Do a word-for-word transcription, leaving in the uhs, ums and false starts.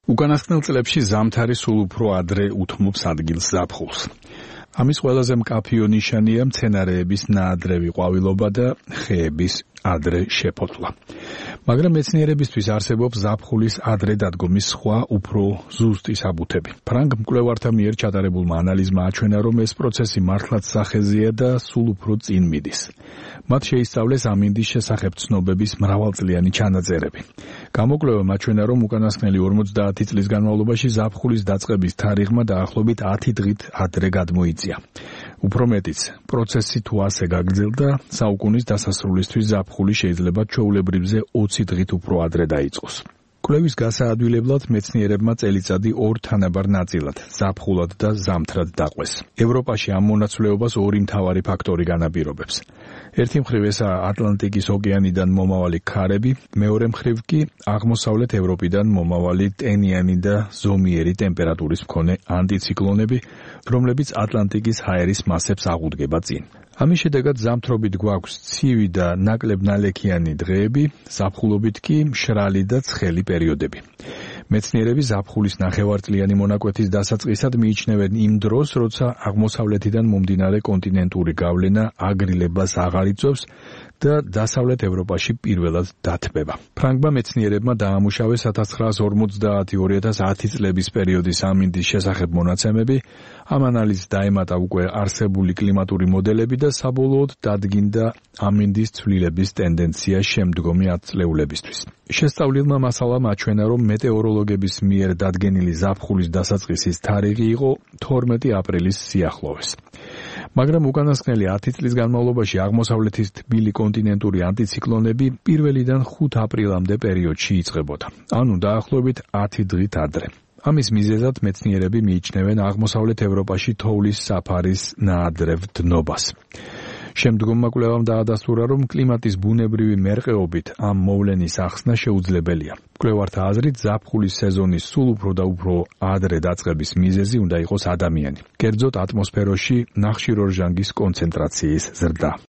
უკანასკნელ წლებში ზამთარი სულ უფრო ადრე უთმობს ადგილს ზაფხულს. ამის ყველაზე მკაფიო ნიშანია მცენარეების ნაადრევი ყვავილობა და ხეების ადრე შეფოთლა. მაგრამ მეცნიერებისთვის არსებობს ზაფხულის ადრე დადგომის სხვა უფრო ზუსტი საბუთები. ფრანგ მკვლევართა მიერ ჩატარებულმა ანალიზმა აჩვენა, რომ ეს პროცესი მართლაც სახეზეა და სულ უფრო წინ მიდის. მათ შეისწავლეს ამინდის შესახებ ცნობების მრავალწლიანი ჩანაწერები. გამოკვლევამ აჩვენა, რომ უკანასკნელი ორმოცდაათი წლის განმავლობაში ზაფხულის დაწყების თარიღმა დაახლოებით ათი დღით ადრე გადმოიწია. უფრო მეტიც, პროცესი თუ ასე გაგრძელდა, საუკუნის დასასრულისთვის ზაფხული შეიძლება ჩვეულებრივზე ოცი დღით უფრო ადრე დაიწყოს. კვლევის გასაადვილებლად მეცნიერებმა წელიწადი ორ თანაბარ ნაწილად, ზაფხულად და ზამთრად დაყვეს. ევროპაში ამ მონაცვლეობას ორი მთავარი ფაქტორი განაპირობებს. ერთი მხრივ ესაა ატლანტიკის ოკეანიდან მომავალი ქარები, მეორე მხრივ კი აღმოსავლეთ ევროპიდან მომავალი ტენიანი და ზომიერი ტემპერატურის მქონე ანტიციკლონები, რომლებიც ატლანტიკის ჰაერის მასებს აღუდგება წინ. ამის შედეგად ზამთრობით გვაქვს ცივი და ნაკლებ ნალექიანი დღეები, ზაფხულობით კი მშრალი და ცხელი პერიოდები. მეცნიერები ზაფხულის ნახევარწლიანი მონაკვეთის დასაწყისად მიიჩნევენ იმ დროს, როცა აღმოსავლეთიდან მომდინარე კონტინენტური გავლენა აგრილებას აღარ იწვევს და დასავლეთ ევროპაში პირველად დათბება. ფრანგმა მეცნიერებმა დაამუშავეს ათას ცხრაას ორმოცდაათი - ორი ათას ათი წლების პერიოდის ამინდის შესახებ მონაცემები, ამ ანალიზს დაემატა უკვე არსებული კლიმატური მოდელები და საბოლოოდ დადგინდა ამინდის ცვლილების ტენდენცია შემდგომი ათწლეულებისთვის. შესწავლილმა მასალამ აჩვენა, რომ მეტეოროლოგების მიერ დადგენილი ზაფხულის დასაწყისის თარიღი იყო თორმეტი აპრილის სიახლოვეს. მაგრამ უკანასკნელი ათი წლის განმავლობაში აღმოსავლეთის თბილი კონტინენტური ანტიციკლონები პირველიდან ხუთ აპრილამდე პერიოდში იწყებოდა, ანუ დაახლოებით ათი დღით ადრე. ამის მიზეზად მეცნიერები მიიჩნევენ აღმოსავლეთ ევროპაში თოვლის საფარის ნაადრევ დნობას. შემდგომმა კვლევამ დაადასტურა, რომ კლიმატის ბუნებრივი მერყეობით ამ მოვლენის ახსნა შეუძლებელია. მკვლევართა აზრით, ზაფხულის სეზონის სულ უფრო და უფრო ადრე დაწყების მიზეზი უნდა იყოს ადამიანი, კერძოდ ატმოსფეროში ნახშირორჟანგის კონცენტრაციის ზრდა.